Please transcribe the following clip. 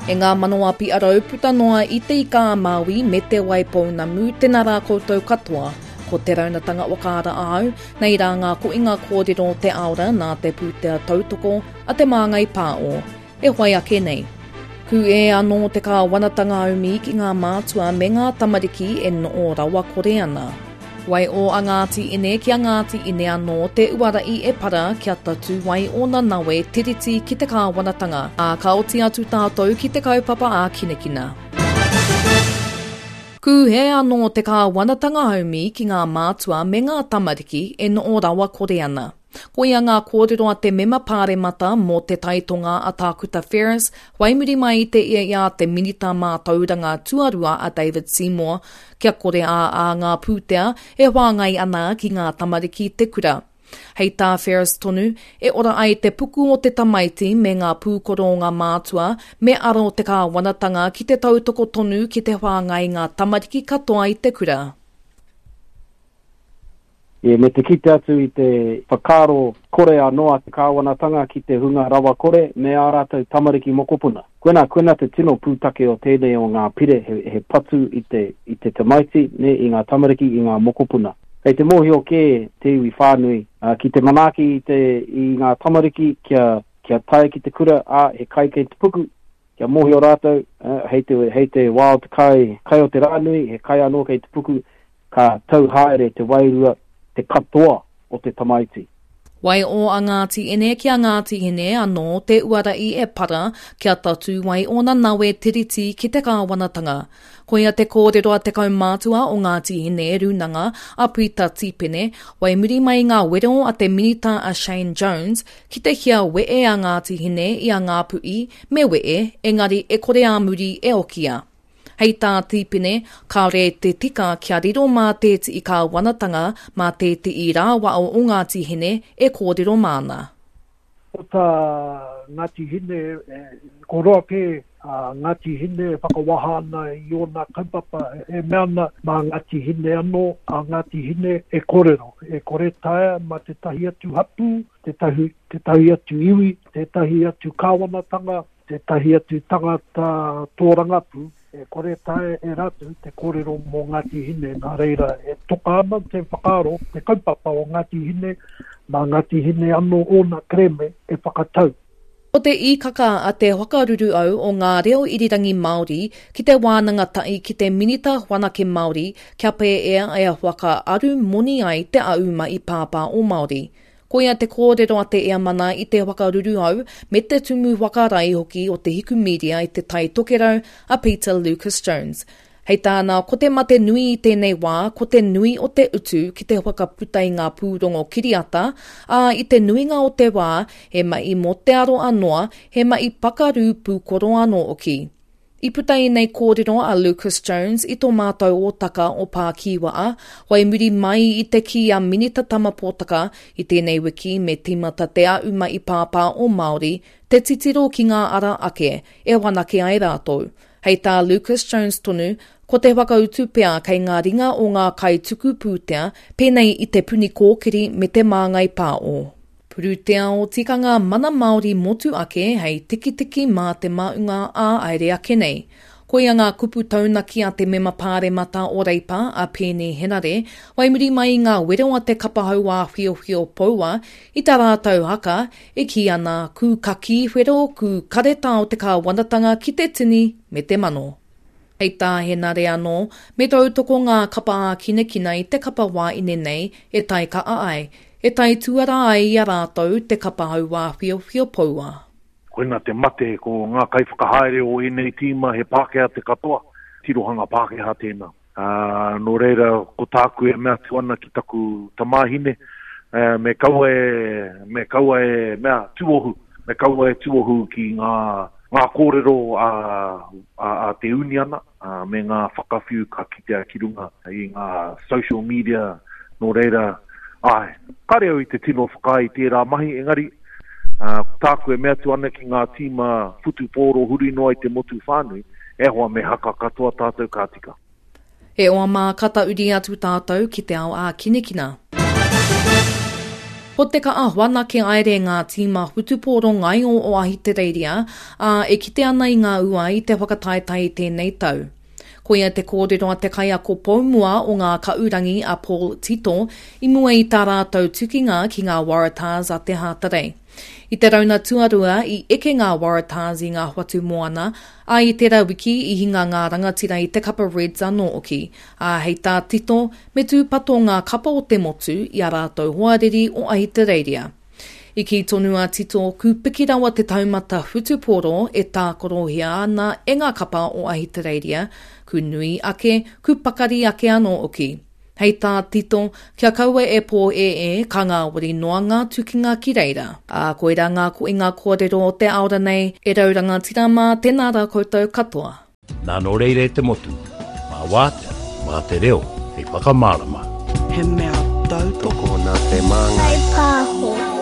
E ngā manawa piarau puta noa i Te Ika-a-Māui me Te Waipounamu, tēnā rā koutou katoa. Ko Te Raunatanga Whakaara āu, nei rā ngā koinga kōrero o te aora nā te pūtea tautoko a Te Māngai Pāo e whai ake nei. Kūē anō te kāwanatanga haumi ki ngā mātua me ngā tamariki e noo rawakore ana. Waiō a Ngāti Ine ki a Ngāti Ine anō te uara i e para kia tatū ai ōna nawe tiriti ki te kāwanatanga, ā, ka oti atu tātou ki te kaupapa ā-kinakina. Kūhē anō te kāwanatanga haumi ki ngā mātua me ngā tamariki e noo rawakore ana. Koia ngā kōrero a te mema pāremata mō Te Tai Tonga a Tākuta Ferris, whai muri mai i te ia i a te Minita Mātauranga Tuarua a David Seymour, kia kore ā ā ngā pūtea e whāngai ana ki ngā tamariki te kura. Hei tā Ferris tonu, e ora ai te puku o te tamaiti me ngā pūkoro o ngā mātua, me aro te kāwanatanga ki te tautoko tonu ki te whāngai ngā tamariki katoa i te kura. E, me te kite atu i te whakaaro kore anō a te kāwanatanga ki te hunga rawakore me ā rātou tamariki mokopuna. Koinā, koinā te tino pūtake o tēnei o ngā pire, he, he patu i te, i te tamaiti, nē, i ngā tamariki, i ngā mokopuna. Kei te mōhio kē te iwi whānui, ā, ki te manaaki i te, i ngā tamariki kia, kia tae ki te kura, ā, he kai kei te puku, kia mōhio rātou, ā, hei te, hei te wā o te kai, kai o te rā nui, he kai anō kei te puku, Ka tau haere te wairua, te katoa o te tamaiti. Waiō a Ngāti Ine ki a Ngāti Hine anō te uara i e para kia tatū ai ōna nawe tiriti ki te kāwanatanga. Koia te kōrero a te kaumātua o Ngāti Hine Rūnanga a Pita Tīpene, wai muri mai i ngā wero a te Minita a Shane Jones ki te hia wee a Ngāti Hine i a Ngāpuhi me wee engari e kore ā muri e okia. Hei tā Tīpene, kāore te tika kia riro mā tētihi kāwanatanga, mā tētihi rāwao o Ngāti Hine e kōrero māna. Ko tā Ngāti Hine, ko roa kē a Ngāti Hine e whakawaha ana i ōna kaupapa, e mea ana mā Ngāti Hine anō a Ngāti Hine e kōrero, e kore taea mā tētahi atu hapū, tētahi, tētahi atu iwi, tētahi atu kāwanatanga, Tētahi atu tangata tōrangapū, e kore taea e rātou te kōrero mō Ngāti Hine, nā reira e toka ana te whakaaro, te kaupapa o Ngāti Hine, mā Ngāti Hine anō ōna kerēme e whakatau. Ko te īkaka a te whakaruruau o ngā reo irirangi Māori ki te wānanga tahi ki te Minita Whanake Māori kia pēea e whakaaru moni ai te auma i Pāpā o Māori. Koia te kōrero a te Eamana i te whakaruruhau me te tumu whakarae hoki o Te Hiku Media i Te Tai Tokerau, a Peter Lucas Jones. Hei tāna, ko te mate nui i tēnei wā, ko te nui o te utu ki te whakaputa i ngā pūrongo kiriata, ā, i te nuinga o te wā, he mahi mō te aroa noa, he mahi pakaru pūkoro anō hoki. I puta ēnei kōrero a Lucas Jones i tō mātou ōtaka o Pākīwaa, whai muri mai i te kī a Minita Tama Potaka i tēnei wiki me tīmata te auma i Pāpā o Māori te titiro ki ngā ara ake e whanake ai rātou. Hei tā Lucas Jones tonu, ko te whakautu pea kei ngā ringa o ngā kaituku pūtea pēnei i Te Puni Kōkiri me Te Māngai Pāo. Pūtea o tikanga mana Māori motu ake hei tikitiki mā te maunga ā aere ake nei. Koia ngā kupu taunaki a te mema pāremata o Reipa a Peeni Henare, whai muri mai i ngā wero a te kapa hauā whiowhio poua i tā rātou haka e kī ana kū kakī whero kū karetao te kāwanatanga ki te tini me te mano. Hei tā Henare anō, me tautoko ngā kapa ākinakina i te kapa wāine nei e taika'a ai, e taituara ai i a rātou te kapa hauā whiowhio poua. Koina te mate, ko ngā kaiwhakahaere o ēnei tīma he Pākehā te katoa, tirohanga Pākehā tēnā. Ā, nō reira, ko tāku e mea atu ana ki taku tamāhine, me kaua e, me kaua e mea tuohu, me kaua e tuohu ki ngā, ngā kōrero a, a, a te uniana, ā, me ngā whakawhiu ka kitea ki runga i ngā social media, nō reira, āe, kāre au i te tino whakaae i tērā mahi, engari, ā, ko tāku e mea atu ana ki ngā tīma whutupōro huri noa i te motu whānui, E hoa, me haka katoa tātou ka tika. E oa mā, ka tauri atu tātou ki te ao ākinakina. Ko te kaa whanake aere ngā tīma whutupōro ngaio o Ahitereiria, ā, e kite ana i ngā ua i te whakataetae i tēnei tau. Koia te kōrero a te kaiako poumua o ngā Kaurangi a Paul Tito i mua i tā rātou tukinga ki ngā Waratahs a te Hātarei. I te rauna tuarua i eke ngā Waratahs i ngā whatu moana, ā, i tērā wiki i hinga ngā rangatira i te kapa Reds anō hoki, ā, hei tā Tito, me tūpato ngā kapa o te motu i a rātou hoariri o Ahitereiria. I kī tonu a Tito, kūpiki rawa te taumata whutupōro e tākarohia ana e ngā kapa o Ahitereiria, ku nui ake, ku pakari ake anō hoki. Hei tā Tito, kia kaua e pōēē, ka ngāwari noa ngā tukinga ki reira. Ā, koirā ngā koinga kōrero o te aora nei, e rau rangatira mā, tēnā rā koutou katoa. Nā nō reira e te motu, mā wātea, mā te reo hei whakamārama. He mea tautoko. Tokona te māngai. Whai pāho.